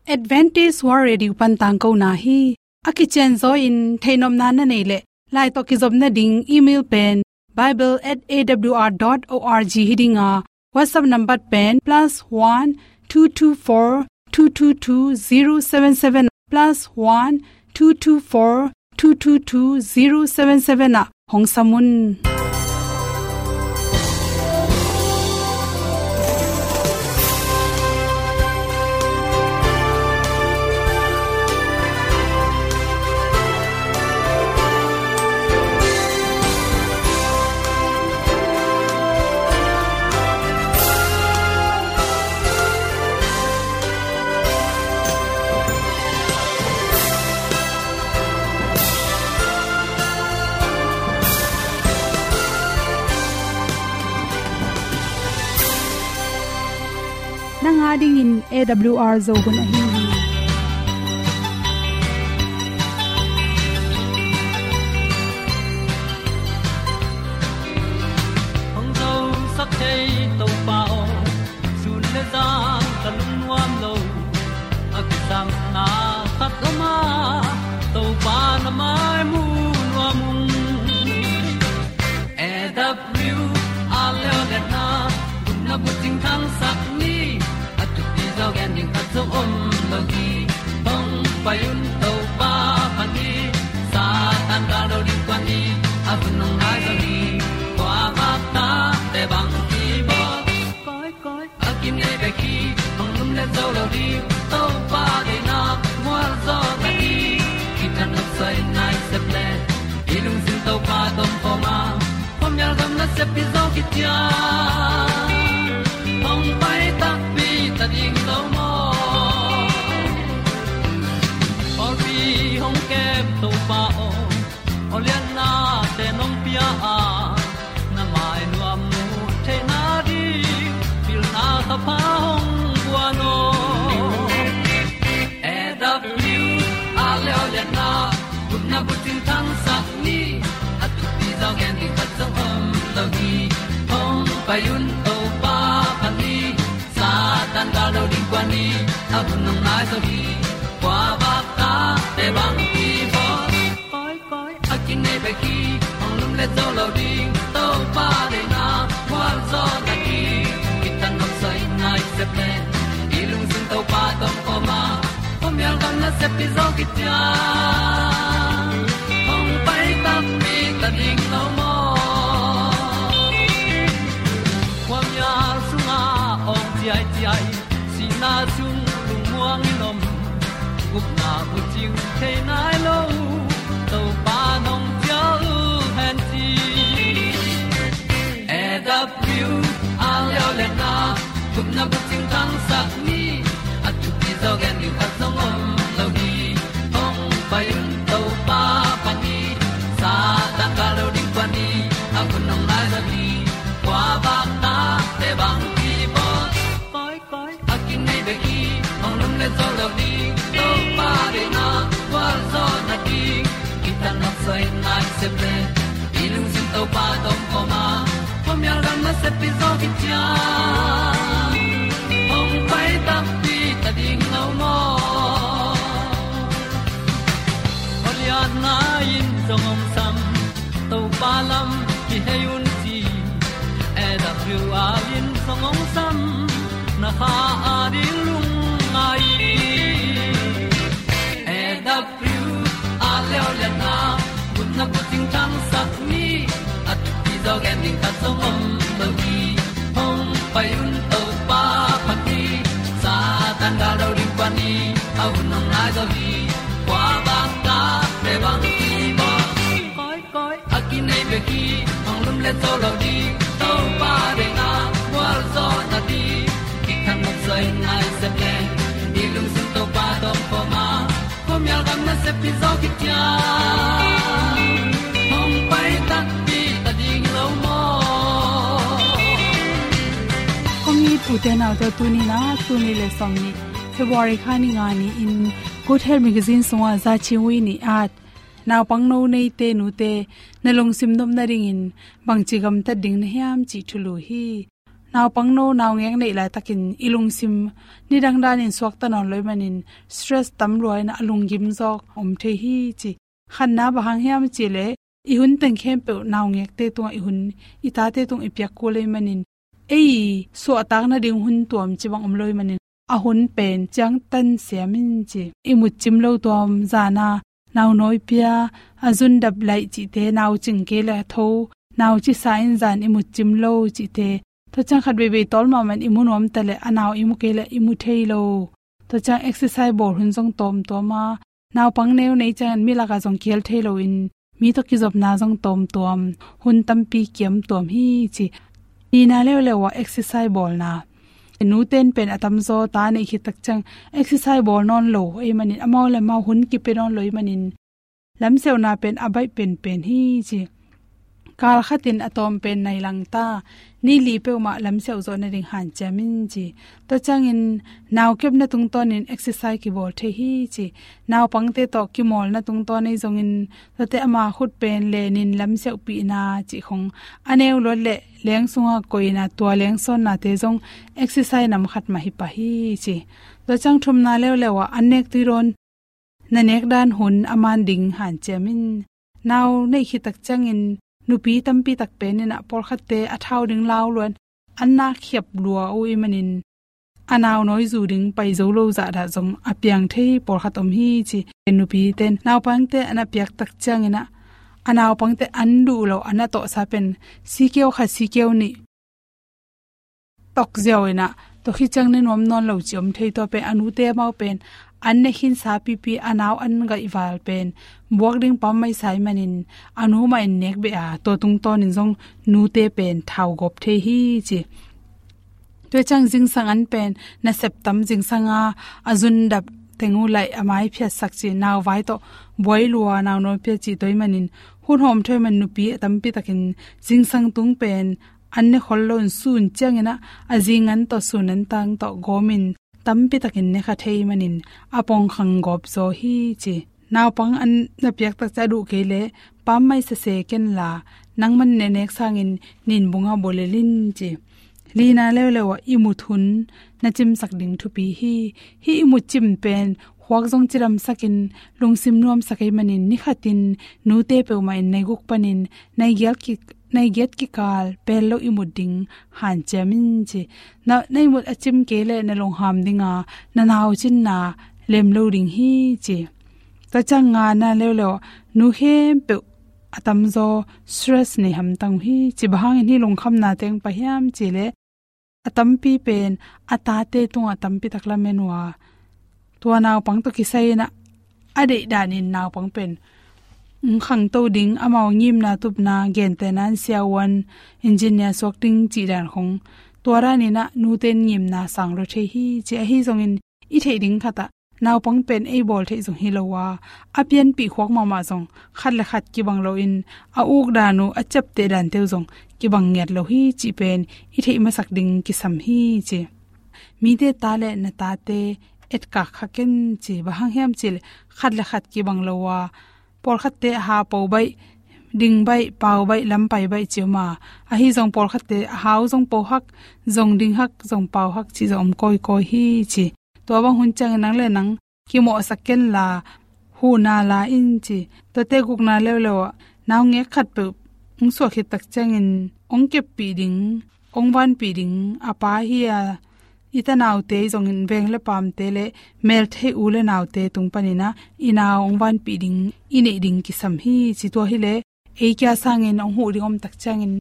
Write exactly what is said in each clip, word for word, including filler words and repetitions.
Adventist World Radio pan tangkona hi. A kicianzaw in theihnopna na neih leh, lai tawh kizopna ding email pen bible at A W R dot org hi ding a, WhatsApp number pen plus one two two four two two two zero seven seven, plus one two two four two two two zero seven seven ah hong sam un. Nang a dingin A W R Zo hun ahi hi. Hong zosak thei Topa aw, sun le zan ka lungnuam lo. A kisangna khat om a, Topa na mai mu nuam ung. A W R leo le na, gupna bucing thangsak ni, a thupi zaw gen ding khat zong om lo hi. Hong pai un Topa phat ni, Satan gal lo ding kuan ni, a hun hong nai zaw ni, kua vak ta te bang ki bawl. Koi, koi, a kinei bek hi, hong lumlet zo lo ding, Topa deihna mual zaw ta hi. Kitang nok soi nai sep le, i lungsim Topa tawh om khawm a, khuamial gam nasep pi zaw kician, hong pai takpi ta ding lo maw? Pawlpi hong kem Topa aw, aw lianna te nong pia a, na mai nuam mu theihna ding, pilna thapha hong guan aw. A W R leo le na, gupna bucing thangsak ni, a thupi zaw gen ding khat zong om lo hi. Hong pai un Topa phat ni, Satan gal lo ding kuan ni, a hun hong nai zaw hi. Kua vak ta te bang ki bawl. Koi, koi, a kinei bek hi, hong lumlet zo lo ding, Topa deihna mual zaw ta hi. Kitang nok soi nai sep le, i lungsim Topa tawh om khawm a, khuamial gam nasep pi zaw kician, hong pai takpi ta ding lo maw? Khuamial sungah awng ciaiciai, sihna sung lungmuang in om, gupna bucing thei nai lo, Topa nong cial hen ci. A W R leo le na, gupna bucing thangsak ni, a thupi zaw gen ding khat zong om lo hi. Hong pai un Topa phat ni, Satan gal lo ding kuan ni, a hun hong nai zaw hi. Kua vak ta te bang ki bawl. Koi, koi, a kinei bek hi, hong lumlet zo lo ding, Topa deihna mual zaw na ding. Kitang nok soi nai sep le, i lungsim Topa tawh om khawm a, khuamial gam nasep pi zaw kician, hong pai takpi ta ding lo maw? Aw lianna in zong hong sam, Topa lam kihei un ci. A W R in zong hong sam, na kha a ding lungngai hi. A W R leo le na, gupna bucing thangsak ni, a thupi zaw gen ding khat zong om lo hi. Hong pai un Topa phat ni, Satan gal lo ding kuan ni, a hun hong nai zaw hi. Kua vak ta te bang ki bawl. Koi, koi, a kinei bek hi, hong lumlet zo lo ding, Topa deihna mual zaw na ding. Kitang nok soi nai sep le, i lungsim Topa tawh om khawm a, khuamial gam nasep pi zaw kician, hong pai takpi ta ding lo maw? Kong it u te nau te, tuni na, tuni le sawm ni, February kha ni nga ni-in, Good Health Magazine sungah Za Ching Wi nih at, naupangno neite nute, na lungsim nopna dingin bangci gamtat ding na hiam cih thulu hi. Naupang no, naungek neih laitakin i lungsim nidang danin suakta nawn lo ahih manin stress tam lua in a lunggim zawk om thei hi ci. Khatna bang hang hiam cih leh i hun teng khempeuh naungekte tungah i hun, i tate tung i piak kul ahih manin ei suahtak nading hun tuam ci bang om lo ahih manin a hun pen ciangtan siam in ci. I mut cim lo tuam, zana nau nawi pia, a zun dap laih cihte, nau cing kei le tho, nau cisa in zan i mut cim lo cihte. Tua ciang khat veivei tawl mahmah in i mu nuam ta le a nau i mu kei le i mu thei lo. Tua ciang exercise bawl hun zong tawmtawm a, naupang neu nei ciangin mi lakah zong kihel thei loin mi tawh kizopna zong tawmtawm, hun tampi kiam tuam hi ci. Nihna leuleu ah exercise bawlna. Nute in pen a tamzaw ta neih khit tak ciang exercise bawl nawn lo ahih manin, amau le amau hun kipia nawn lo ahih manin lamsiauhna pen a baih penpen hi ci. Kal khatin a tawm pen nai lang ta, ni li peuhmah lamsiauh zawh nading hanciam in ci. Tua ciangin nau kepna tungtawnin exercise kibawl thei hi ci. Naupangte tawh kimawlna tungtawn ahi zongin, tuate ama khut pen lenin lamsiauhpihna cih khong, a neu luat le leng sunga koihna, tua leng sawnnate zong exercise nam khat mah hi pah hi ci. Tua ciang thumna leuleu ah an nek tui dawn, na nek dan hun a man ding hanciam in. Nau neih khit tak ciangin nupi tampi tak pen in ah pawlkhatte a thau ding lau luat, an na khiap lua uh ahih manin a nau nawi zu ding pai zo lo zahdah zong a piang thei pawlkhat om hi ci. Nupite in naupangte a na piak tak ciangin ah a naupangte an duh lo, a na tawhsa pen sikeu khat, sikeu nih tawk ziau in ah, tua khit ciang ne nuam nawn lo cih om thei. Tua pen a nute amau pen an ne khinsa pipi, a nau an gaihval pen buak ding pammaih sa ahih manin a nu mah in nek beh a, tua tungtawnin zong nute pen thau gawp thei hi ci. Tua ciang zingsang an pen nasep tam, zingsang a, a zun dap teng uh laih, a mai phiatsak ci, nau vai tawh buai lua, nau nawi pia cih, tua ahih manin hun hawm thei man nupi a tampi takin zingsang tung pen an ne khol loin sun ciangin ah a zing an tawh, sun an tang tawh gawmin tampi takin ne kha thei manin a pongkhang gawp zaw hi ci. Naupang an na piak tak ciang a duh kei le pammaih sese ken la, nangman ne nek sangin nin bunga bawlel in ci. Lina leuleu ah i mut hun na cimsak ding thupi hi. Hih i mut cim pen khuak zong cidamsakin lungsim nuamsak ahih manin, ni khatin nute peuhmah in nai guk panin nai giat ki, nai giat kikal pel lo i mut ding hanciam in ci. Na, na i mut a cim kei le na lungham dinga na nau cinna lem lo ding hi ci. Tua ciang ngana leuleu, nu khempeuh a tamzaw stress nei hamtang uh hi ci. Bang hangin hih lungkhamna teng pah hiam cih leh, a tampi pen a tate tungah tampi tak lamen uh a, tua naupang tawh kisai in ah a deih danin naupang pen, mm, khangto ding, amau ngimna tupna, gentehna in siavuan, engineer suak ding cih dan khong, tua danin ah nute in ngimna sang lua thei hi ci. Ahi zongin i theih ding khat ah naupang pen ei bawl theih zong hi lo a, a pianpih khuak mahmah zong khat le khat kibang loin, a uk dan uh, a ciapteh dante uh zong kibang ngiat lo hi cih pen i theih masak ding kisam hi ci. Mite ta le na tate etkak kha ken ci. Bang hang hiam cih leh khat le khat kibang lo a, pawlkhatte a hau po baih, ding baih, pau baih, lam pai baih ci om a, ahi zong pawlkhatte a hau zong po hak, zong ding hak, zong pau hak cih zong om kawikawi hi ci. Tua bang hun ciangin nang le nang kimawhsak ken la, huhna la in ci. Tuate gukna leuleu ah, naungek khatpeuh hong suah khit tak ciangin hong keppih ding, hong vanpih ding a pa hi a, i tanaute zongin veng le pamte le melthei u le naute tung panin ah i nau hong vanpih ding i neih ding kisam hi ci. Tua hi leh ei kia sangin hong huh ding om tak ciangin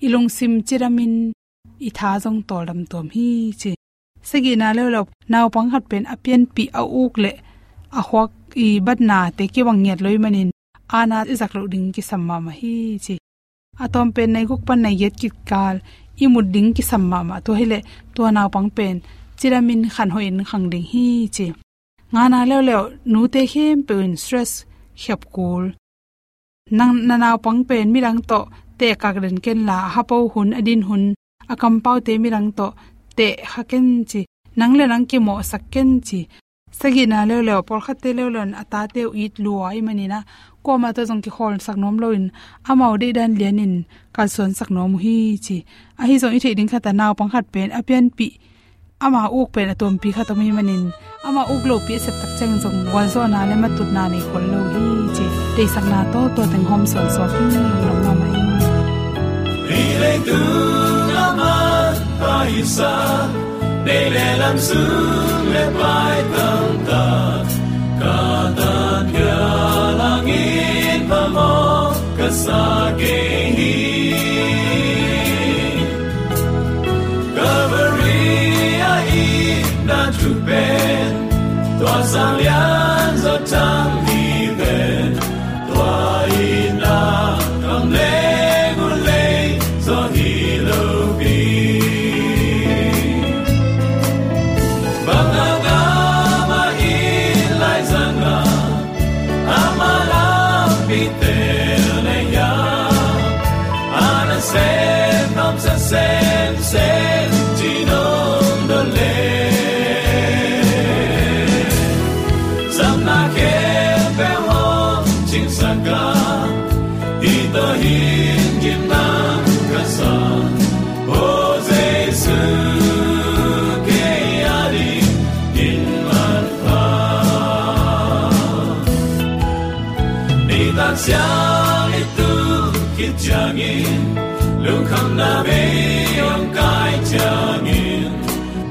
i lungsim cidamin i tha zong tawldam tuam hi ci. Sagihna leuleu, naupang khat pen a pianpih, a uk le a khuak i batnate kibang ngiat lo ahih manin, ana i zak loh ding kisam mahmah hi ci. A tawm pen nai guk pan nai giat kikal i mut ding kisam mahmah. Tua hi leh tua naupang pen cidamin khanhoihin khang ding hi ci. Ngana leuleu, nute khempeuh in stress khiap kul. Nang, na naupang pen midang tawh tehkak den ken la, a hapo hun, a din hun, a kampaute midang tawh teh kha ken ci. Nang le nang kimawhsak ken ci. Sagihna leuleu, pawlkhatte leuleu in a tate uh it lua ahih manin ah, kuamah tawh zong kikhawlsak nuam loin amau deihdan lianin kalsuansak nuam uh hi ci. Ahi zong i theih ding khat ah naupang khat pen a pianpih ama uk pen a tuampi khat om ahih manin ama uk lopi a septak ciang zong gualzawhna le matutna nei khol lo hi ci. Deihsakna tawh tua teng hawm suansuak hi. Lungdam mahmah hi. Hih leitung a manpha hisa, nei le lam sung le pai tamtak, Katan pialangin phamawh ka sa kei hi. Calvary a itna thu pen, tua Sang Lian Za thang hi pen, tua itna kam leng uh lei zaw hi lo pi. Bang a ngam a it lai zang a, ama lampi tel na hiam? A nasem nuamsa semsem ci nong dot leh, zamna khempeuh hong cingsak a, hih tawh hin gimna ka sa. O Jesu, kei adingin manpha. Nitak siang i tu khit ciangin, lungkhamna bei hong kai ciangin,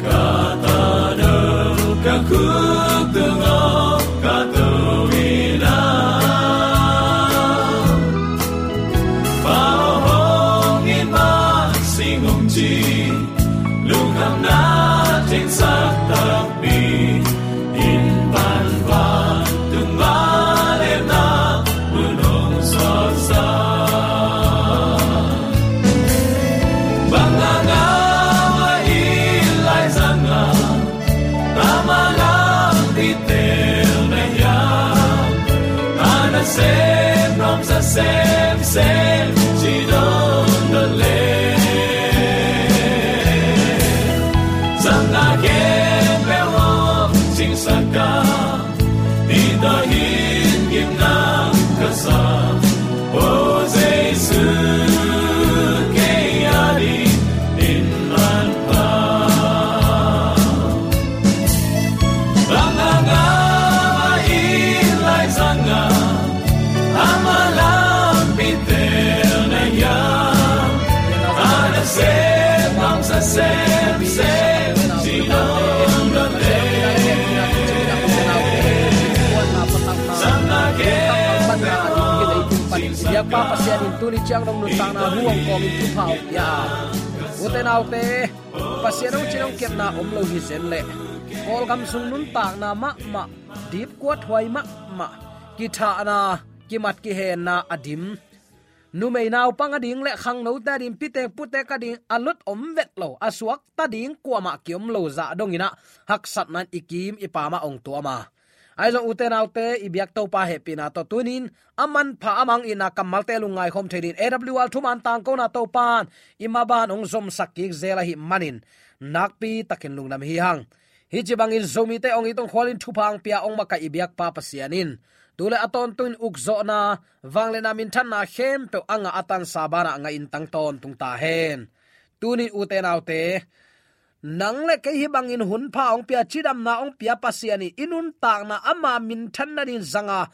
ka ta no ka khuk tungah ka to in a, Pa aw hong it mah sing hong ci, lungkhamna tengsak takpi, inn pan vantung vangliatna mun hong suaksak. Bang a ngam a it lai zang a, ama lampi tel na hiam? A nasem nuamsa semsem ci nong dot leh, zamna khempeuh hong cingsak a, hih tawh hin gimna ka sa. O Jesu, kei adingin manpha. Bang a ngam a it lai zang a, ama lampi tel na hiam? A nasem nuamsa semsem ci nong dot leh, zamna khempeuh hong cingsak a. Biakpa Pasian in tuni ciang dong nuntakna hu hong kawmin thupha hong pia a, ute naute, Pasian hong cin hong kepna om lo hi zen leh, Kawlgam sung nuntakna mahmah, dipkuat huai mahmah, kithahna, kimat kihenna a dim, numei naupang a ding le khangnote a ding, pitek putek a ding a lut om vet lo, a suakta ding kuamah kiom lo zah dongin ah, haksatna in i kim i pam ah hong tuam a. Ahi zong ute naute, i biak Topa hehpihna tawh tunin a manpha a mang itna kammalte lungngai khawm thei dingin A W R thuman tangkona Topa'n i maban hong zomsak kik zel ahih manin nakpi takin lungdam hi hang. Hih ci bangin Zomite hong it hong khualin thupha hong pia hong makaih i biakpa Pasian in tu le a tawntungin ukzawhna, vangliatna, minthanna khempeuh a ngah a tansa banah ngah in tang tawntung ta hen. Tunin ute naute, nang le kei hih bangin hunpha hong pia, cidamna hong pia Pasian in i nuntakna ama minthan nadingin zang a,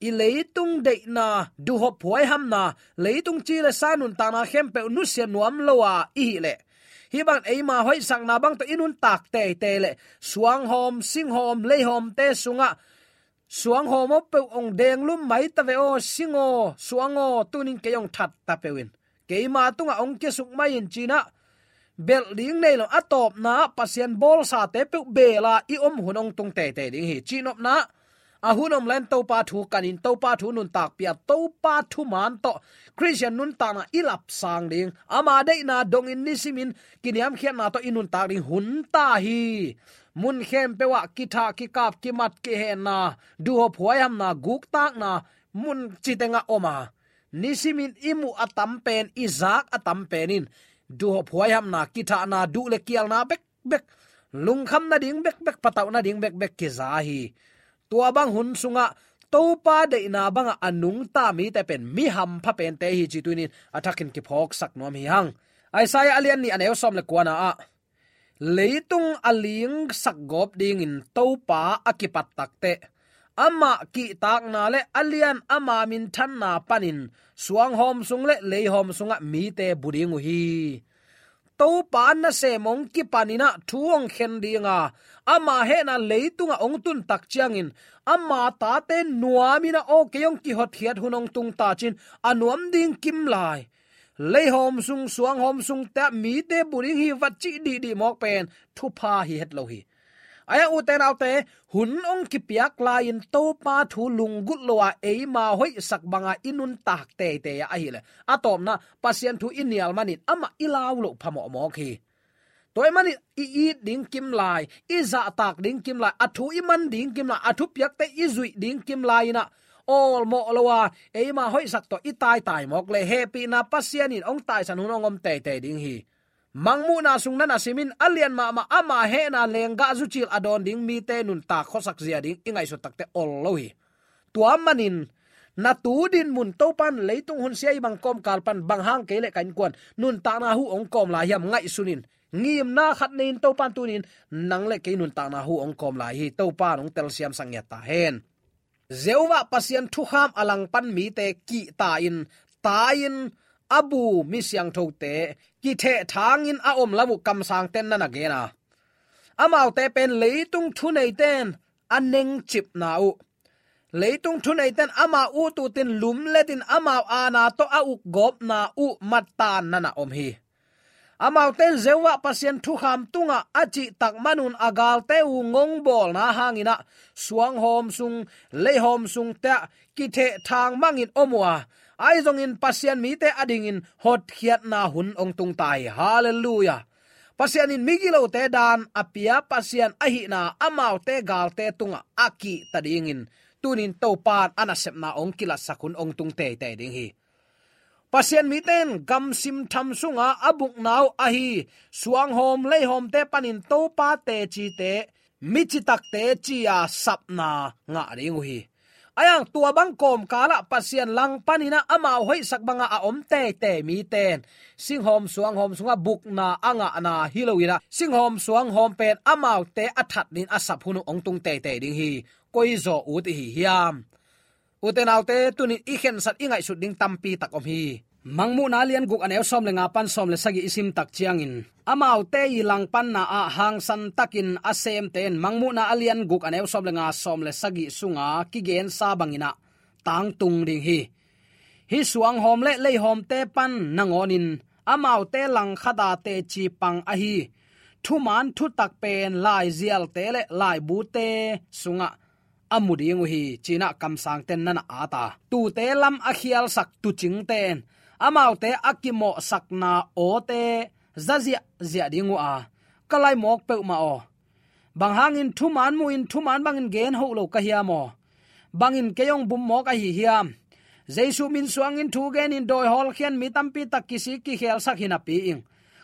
i leitung deihna, duhhop huaihamna, leitung ci le sa nuntakna khempeuh nusia nuam lo a i hih leh, hih bang eima hoihsakna bang tawh i nuntak teitei leh, suanghawm, singhawm, leihawmte sungah suanghawm aw peuh hong denglum mai ta ve aw, sing aw, suang aw, tunin kei hong that ta peuh in, keima tungah hong kisuk mai in, ci-in ah, belh ding nei lo, a tawpna ah Pasian bawlsate peuh beel a i om hun hong tung teitei ding hi, cihnopna ah, a hun om leh Topa thu kanin, Topa thu nuntakpih a, Topa thuman tawh Khristian nuntakna i lapsang ding, ama deihna dongin nisimin kiniamkhiatna tawh i nuntak ding hun ta hi. Mun khempeuh ah kithah, kikap, kimat, kihenna, duhhop huaihamna, guktakna, mun ci tengah om a, nisimin i muh a tam pen, i zak a tam pen in duhhop huaihamna, kithahna, duh le kialna bekbek, lungkham nading bekbek, patauh nading bekbek kiza hi. Tua bang hun sungah Topa deihna bangah a nungta mite pen mi hampha pente hi ci tunin a thakin kiphawksak nuam hi hang. Isaiah a lian nih a neu sawm le kuana ah, leitung a lingsak gawp dingin Topa a kipat takteh, amah kihtakna le a lian ama minthanna panin suanghawm sung le leihawm sungah mite bu ding uh hi. Topa nasem hong kipaninah thu hong khen dinga, ama hehna leitungah hong tuntak ciangin, ama tate nuaminah aw kei hong kihotkhiat hun hong tungta cin, a nuam ding kimlai. Leihawm sung, suanghawm sungte ah mite bu ding hi va cih dihdih mawk pen thupha hi het lo hi. Ahi a, ute naute, hun hong kipiak lai-in Topa thu lunggulh lo-a eima hoihsak banga i nuntak teitei ah ahileh, a tawpna Pasian thu i nial manin amah i lau loh phamawh mawk hi. Tua ahih manin i it ding kimlai, i zahtak ding kimlai, a thu i man ding kimlai, a thupiakte i zuih ding kimlai inah awlmawh lo-a eima hoihsak tawh i taitai mawk leh, hehpihna Pasian in hong taisan hun hong om teitei ding hi. Mangmuhna sung na na simin, a lian mahmah ama hehna lenggah zucil a dawn ding mite nuntak khuasak zia ding i ngaihsut takteh ol lo hi. Tua manin na tu dinmun Topan leitung hun sia i bang kawmkal pan bang hang kei le ka innkuan nuntakna hu hong kawm lai hiam ngaihsunin, ngimna khat nei-in Topan tunin nang le kei nuntakna hu hong kawm lai hi. Topan hong telsiamsak ngiat ta hen. Jehovah Pasian thukham a langpan mite kihta-in, tai-in, a bu mi siangthote kithehthangin a om lam uh kamsangten na na gen a, amaute pen leitung thuneiten a nengcipna uh, leitung thuneiten amau ut utin lumletin amau aana tawh a ukgawpna uh mattan na na om hi. Amaute in Jehovah Pasian thukham tungah a cihtak manun a galte uh ngongbawlna hanginah suanghawm sung, leihawm sungte ah kithehthang mangin om uh a, ahi zongin Pasian mite adingin hotkhiatna hun hong tungta hi. Halleluiah. Pasian in migilote daan a pia Pasian ahihna amaute galte tungah a kihta dingin tunin Topan a nasepna hong kilatsak hun hong tung teitei ding hi. Pasian mite in gamsim tham sunga a bukna uh ahi suanghawm leihawmte panin Topa tecite, mi citakte ci-a sapna ngah ding uh hi. Ahi hang tua bang kawmkalah Pasian langpaninah amau hoihsak banga a om teitei mite in singhawm suanghawm sungah bukna a ngahna hi loinah singhawm suanghawm pen amaute a thatnin a sap hun uh hong tung teitei ding hi. Koi zaw ut i hi hiam? Ute naute, tunin i khensat i ngaihsut ding tampi tak om hi. Mangmuhna a lian guk a neu sawm le nga pan sawm le sagih i simtak ciangin, amaute i langpanna ah hangsan takin a semte in Mangmuhna a lian guk a neu sawm le nga, sawm le sagih sunga kigensa banginah tangtung ding hi. Hih suanghawm le leihawmte pan nangawnin amaute langkhata teci pang ahi thuman thutak pen laizialte le laibute sungah a mu ding uh hi, cinah kamsangten na na at a. Tuute lam a khialsak tuucingte in amaute a kimawhsakna awte za ziahziah ding uh a, ka lai mawk peuhmah aw, bang hangin thuman muhin thuman bangin gen hoh lo ka hiam aw? Bangin kei hong bum mawk ahi hiam? Jesu min suangin thu genin dawi hawlkhia-in mi tampi tak kisik kikhelsak hi napi in,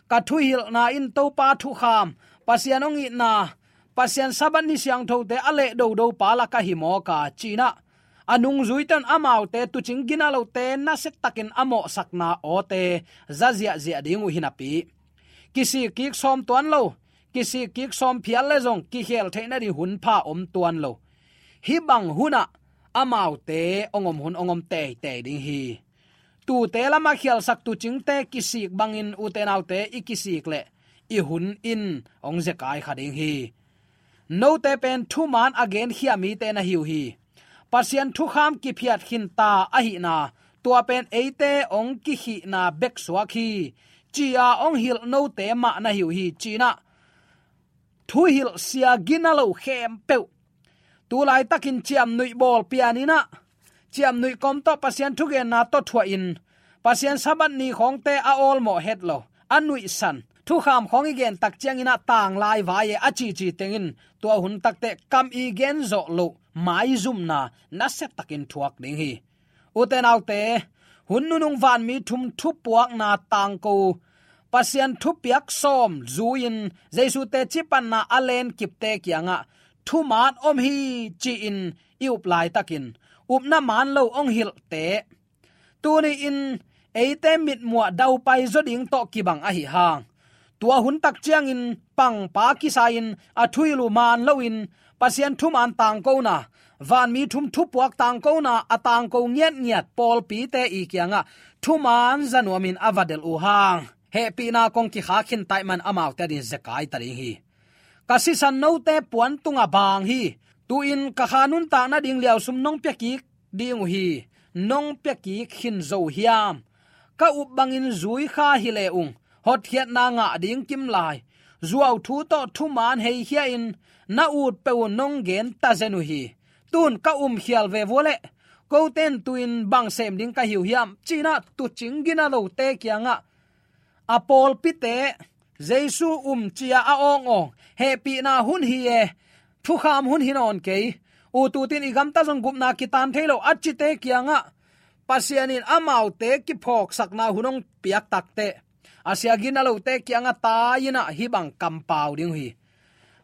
ka thuhilhna in Topa thukham, Pasian hong itna, Pasian Sabbath ni siangthote a lehdodo pa lak ahi mawk a, cinah a nungzuite in amaute tuucing gina lote nasiatakin a mawhsakna awte za ziahziah ding uh hi napi, kisik kik sawm tuan lo, kisik kik sawm phial le zong kikhel theih nading hun pha om tuan lo. Hih bang hunah amaute hong om hun hong om teitei ding hi. Tuute lam a khialsak tuucingte kisik bangin ute naute i kisik leh i hun in hong zekai kha ding hi. Note pen thuman a genkhia mite na hi uh hi. Pasian thukham kiphiat khinta ahihna, tua pen eite hong kikhihna bek suak hi, ci-a hong hilh note mah na hi uh hi, cinah thuhilh sia gina lo khempeuh, tu laitakin ciamnuih bawl pianinah, ciamnuih kawm tawh Pasian thugenna tawh thuahin, Pasian Sabbath ni khawngte a awlmawh het lo, a nuihsan, thukham khawng i gentak cianginah tanglai vai e a cici tengin tua hun takteh kam i gen zawh loh maizumna nasiatakin thuak ding hi. Ute naute, hun nunung vanmi thum thupuakna tangko, Pasian thupiak sawm zui-in Jesu teci panna a lenkipte kiangah thuman om hi ci-in i up laitakin, upna man lo hong hilhte tuni-in eite mitmuh ah daupai zaw ding tawh kibang ahi hang, tua hun tak ciangin pangpa kisai-in a thuhilh uh man loin Pasian thuman tangkona, vanmi thum thupuak tangkona a tangko ngiatngiat pawlpite i kiangah thuman za nuamin a va delh uh hang, hehpihna kong kikhak khin ta ahih man amaute adingin zekai ta ding hi. Ka sisan note puan tungah baang hi. Tu-in ka kha nuntak nading liausum nong piakik ding uh hi. Nong piakik khin zo hiam? Ka up bangin zui kha hi le ung, hotkhiatna ngah ding kimlai, zuauthu tawh thuman heikhia-in na ut peuh uh nong gen ta zen uh hi. Tun ka umkhial ve vua leh, kote in tu-in bang sem ding ka hi uh hiam, ci-in ah tuucing gina lote kiangah a pawlpite, Jesu um ci-a a awngawng, hehpihna hun hi e, thukham hun hi nawn kei, ut ut in i gamta zong gupna kitan thei lo a cite kiangah Pasian in amaute kiphawksakna hun hong piak takteh, a sia gina lote kiangah tai-in ah hih bang kampau ding uh hi.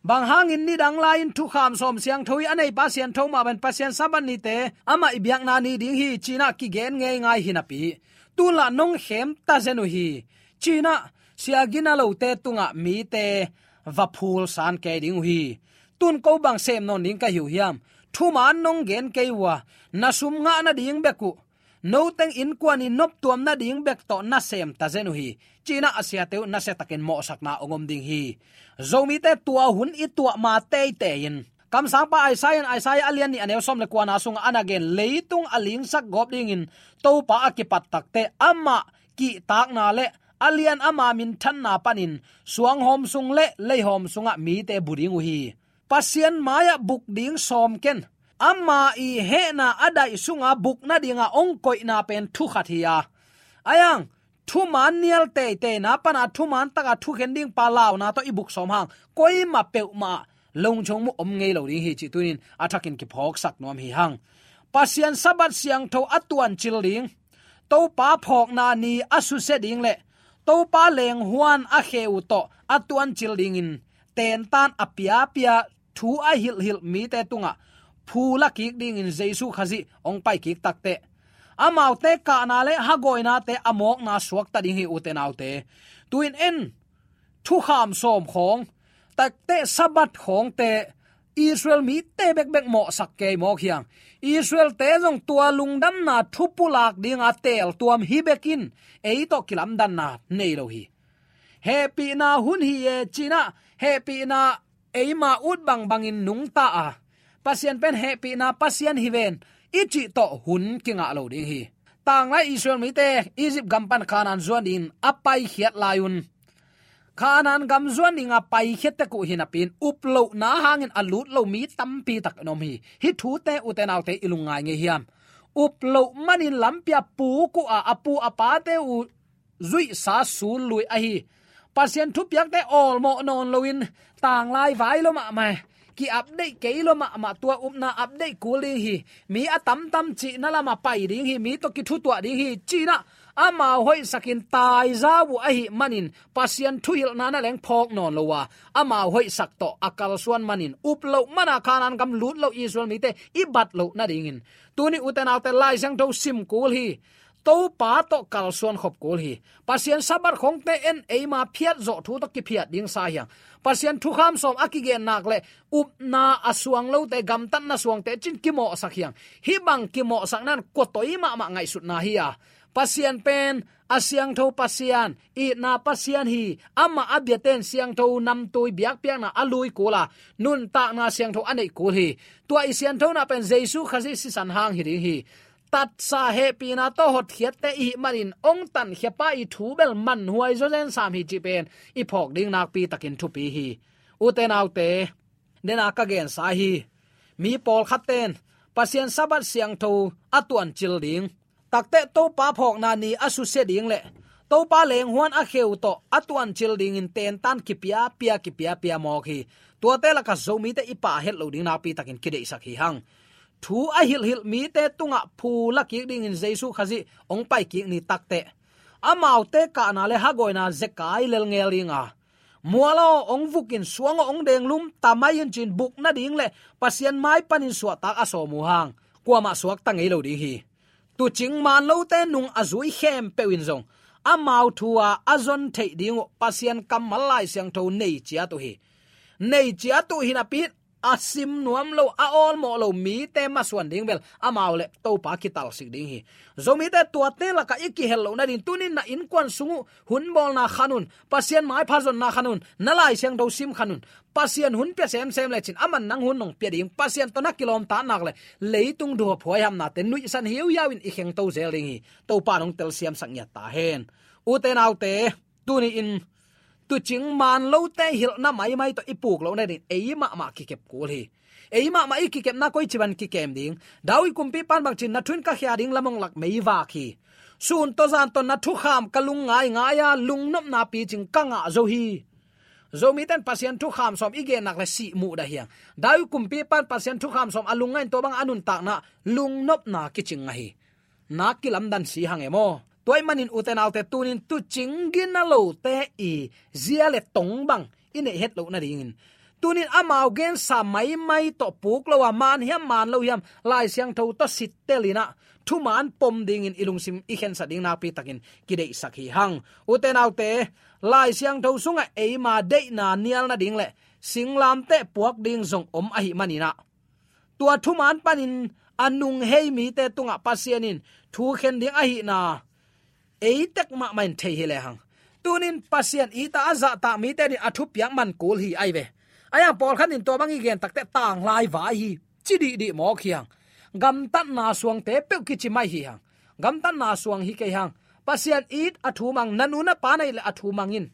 Bang hangin nidang lai-in thukham sawm siangtho hi, a neipa siangtho mah bangin Pasian Sabbath nite amah i biakna ni ding hi, ci-in ah kigen ngeingai hi napi, tun lah nong khem ta zen uh hi, ci-in ah sia gina lote tungah mite va phulsan kei ding uh hi. Tun ko bang sem nawn ding ka hi uh hiam? Thuman nong gen kei uh a, na sum ngah nading bek uh, noteng innkuan i noptuam nading bek tawh na sem ta zen uh hi, ci-in ah a siate uh nasiatakin mawhsakna hong om ding hi. Zomite tua hun i tuah ma teitei-in, kamsangpa Isaiah in Isaiah a lian nih a neu sawm le kuana sungah a na gen, leitung a lingsak gawp dingin Topa a kipat takteh amah kihtakna le a lian ama minthanna panin suanghawm sung le leihawm sungah mite bu ding uh hi. Pasian mai-ah buk ding sawm ken. Ama i hehna a daih sunga buk nadinga hong koihna pen thu khat hi a, a yang thuman nial teiteina pana thuman taka thukhen dingpa launa tawh i buk sawm hang, koima peuhmah lungchong muh om ngei lo ding hi, cih tuni-in a thakin kiphawksak nuam hi hang. Pasian Sabbath siangtho a tuancil ding, Topa phawkna ni a susia ding le Topa lenghuan a khe uh tawh a tuancil dingin tentan a piapia, thu a hilhhilh mite tungah phu la kik dingin Jesu Khazih hong pai kik takteh, amaute kahna le hagawinate a mawkna suakta ding hi, ute naute. Tu-in en, thukham sawm khawng, takteh Sabbath khawngte Israel mite bekbek mawhsak kei mawk hi hang. Israelte zong tua lungdamna thu pulak dinga teeltuam hi bekin ei tawh kilamdanna nei lo hi. Hehpihna hun hi e, ci-in ah hehpihna eima ut bangbangin nungta a, Pasian pen hehpihna Pasian hi ven i cih tawh hun kingah lo ding hi. Tanglai Israel mite Egypt gam pan Kanaan zuan dingin a paikhiat lai-un, Kanaan gam zuan dinga paikhiat tek uh hi napi-in, uplohna hangin a lut lo mi tampi tak in om hi. Hih thute, ute naute, i lungngai ngei hiam? Uploh manin lampi-a puk uh a, a pu a pate uh zuihsa sul lui ahi. Pasian thupiakte awlmawh nawn loin, tanglai vai lua mahmah, ki-update kei lua mahmah, tua upna update kul ding hi. Mi a tamtam cihna lamah pai ding hi, mi tawh kithutuah ding hi, ci-in ah amau hoihsakin taizau uh ahih manin Pasian thuhilhna na leng phawk nawn lo a, amau hoihsak tawh a kalsuan manin, uploh mana Kanaan gam lut lo Israel mite i bat loh nadingin, tuni, ute naute, Lai Siangtho sim kul hi. Topa tawh kalsuan khop kul hi. Pasian Sabbath khawngte en, eima phiatzawh thu tawh kiphiat ding sa hi hang. Pasian thukham sawm a kigen nak le upna a suang lote, gamtatna suangte cin kimawhsak hi hang. Hih bang kimawhsakna in kua toi mahmah ngaihsutna hi a, Pasian pen a siangtho Pasian, itna Pasian hi. Amah a biate'n siangtho namtui biakpiakna a lui kul a, nuntakna siangtho a neih kul hi. Tua i sianthona pen Jesu Khazih sisan hang hi ding hi. Tatsa hehpihna tawh hotkhiatte i hih manin hong tankhiapa i thu bel manhuai zawzen sam hi cih pen i phawk ding nakpi takin thupi hi. Ute naute, dena ka gensa hi. Mi pawlkhatte'n Pasian Sabbath siangtho a tuancil ding, takteh Topa phawkna ni a susia ding le Topa lenghuan a khe uh tawh a tuancil dingin tentan kipiapia, kipiapia mawk hi. Tuate lakah Zomite i pha het loh ding nakpi takin kideihsak hi hang. Thu a hilhhilh mite tungah phu la kik dingin Jesu Khazih hong pai kik ni takteh, amaute kahna le hagawina zekai lelngel ding a, mual aw hong vukin, suang aw hong denglum ta mai un, ci-in buk nading le Pasian mai panin suahtak a sawm uh hang. kuamah suakta ngei lo ding hi. Tuucing maan lote nung a zui khempeuh in zong amau thu-a a zon theih ding uh Pasian kammal Lai Siangtho nei ciat uh hi. Nei ciat uh hi napi-in a sim nuam lo, a awlmawh lo mite masuan ding bel amau le Topa kitalsik ding hi. Zomite tuate lakah i kihel loh nading tuni-in na innkuan sung uh hun bawlna khan un, Pasian maipha zonna khan un, na Lai Siangtho sim khan un. Pasian hun pia semsem lecin aman nang hun hong pia ding, Pasian tawh na kilawmtatna le leitung duhhuai hamnate nuihsan hiauhiau in i khengto zel ding hi. Topa in hong telsiamsak ngiat ta hen. Ute naute, tuni-in tuucing maan lote hilhna maimai tawh i puk loh nading ei mahmah kikep kul hi. Ei mahmah i kikepna koici bangin kikem ding? David kumpipa in bangci-in, "Na thu in ka khia ding lam hong lak meivak hi. Sun tawh zan tawh na thukham ka lungngai ngai-a lungnopna picing ka ngah zo hi." Zomite in Pasian thukham sawm i gen nak le sih muhdah hi hang. David kumpipa in Pasian thukham sawm a lungngai-in tua bangin a nuntakna lungnopna kicing ngah hi. Na kilamdan si hang e maw. Tua ahih manin ute naute, tuni-in tuucing gina lote i zia le tong bang i neih het loh nadingin, tuni-in amau gensa maimai tawh puk lo-a, maan hiam maan lo hiam, Lai Siangtho tawh sittel in ah thumaan pom dingin i lungsim i khensat ding nakpi takin kideihsak hi hang. Ute naute, Lai Siangtho sungah eima deihna nial nading le singlamteh puak ding zong om ahih manin ah, tua thumaan panin a nunghei mite tungah Pasian in thu khen ding ahihna ei tek mahmah in thei hi lehang, tuni-in Pasian it-a a zahtak mite adingin a thupiak man kul hi ahi ve. Ahi hang pawlkhat in tua bang i gen takteh tanglai vai hi, ci dihdih mawk hi hang. Gamtatna suangte peuh kici mai hi hang. Gamtatna suang hi kei hang. Pasian it, a thu mang, na nu na pa na it leh a thu mang in.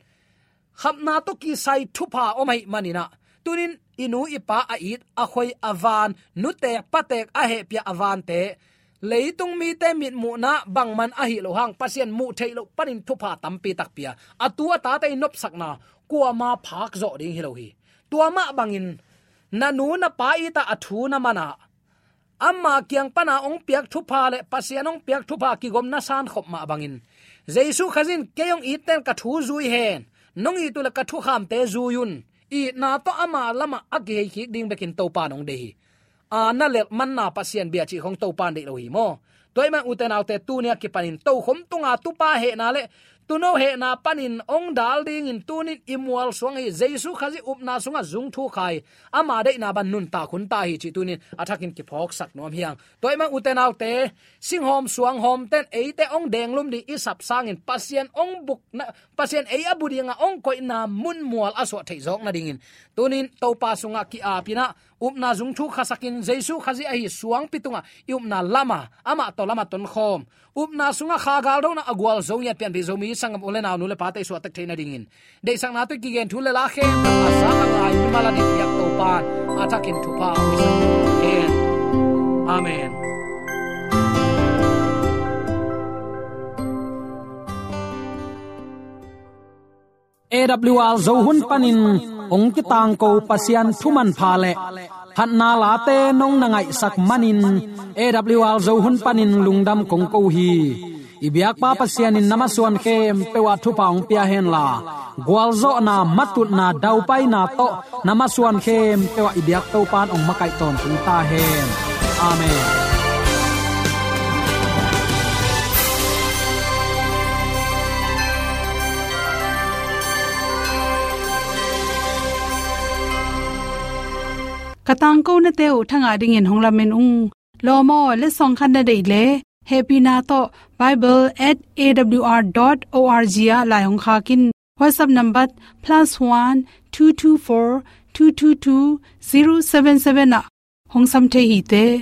Khapna tawh kisai thupha om ahih manin ah, tuni-in i nu i pa a it, a khoi, a van, nutek patek a hehpih a vante, leitung mite mitmuhna bangmah ahih loh hang, Pasian muh theih loh panin thupha tampi tak pia, a tu a tate i nopsakna kuamah phak zawh ding hi lo hi. Tua mah bangin na nu na pa it-a a thu na man-a, ama kiang pana hong piak thupha le Pasian hong piak thupha kigomna sankhop mah bangin, Jesu Khazih in, "Kei hong itte in ka thu zui hen, nong it uh leh ka thukhamte zui un." Itna tawh ama lamah a kihei kik ding bekin Topa in hong deih hi. A na lelhmanna Pasian bia cih khong Topa in deih lo hi maw. Tua ahih manin ute naute, tuni a kipanin tokhom tunga tupa hehna le tuuno hehna panin hong dal dingin tuni-in i mualsuang hi. Jesu Khazih upna sungah zung thuk hi. Ama deihna bang nuntak hun ta hi cih tuni-in a thakin kiphawksak nuam hi hang. Tua ahih manin ute naute, singhawm suanghawmte in eite hong denglum ding i sap sangin Pasian hong bukna, Pasian ei a bu dingah hong koihna munmual a suah theih zawk nadingin, tuni-in Topa sungah ki-ap in ah, upna zung thuk khasakin, Jesu Khazih ahi suangpi tungah i upna lamah, amah tawh lamah tonkhawm, upna sungah kha galdona a gualzo ngiat pianpih Zomi sanggam u le nau, nu le pate i suahtek theih nadingin, deihsakna tawh i kigen thu le la khempeuh a za a ngai mimal a dingin biak Topa in a thakin thupha hong hisak hen. Amen. A W R Zo hun panin hong kitangko Pasian thu manpha le phatna late nong na ngaihsak manin, A W R Zo hun panin lungdam kong ko hi. I biakpa Pasian in na masuan khempeuh ah thupha hong pia henla, gualzawhna, matutna, daupaina tawh na masuan khempeuh ah i biak Topa in hong makaih tawntung ta hen. Amen. Ka tangkonate uh thangah dingin hong lamen ung. Lawm aw, letsong khat na deih leh, hehpihna tawh bible at A W R dot O R G ah lai hong khak in. WhatsApp number plus one two two four two two two zero seven seven ah hong sam thei hi te.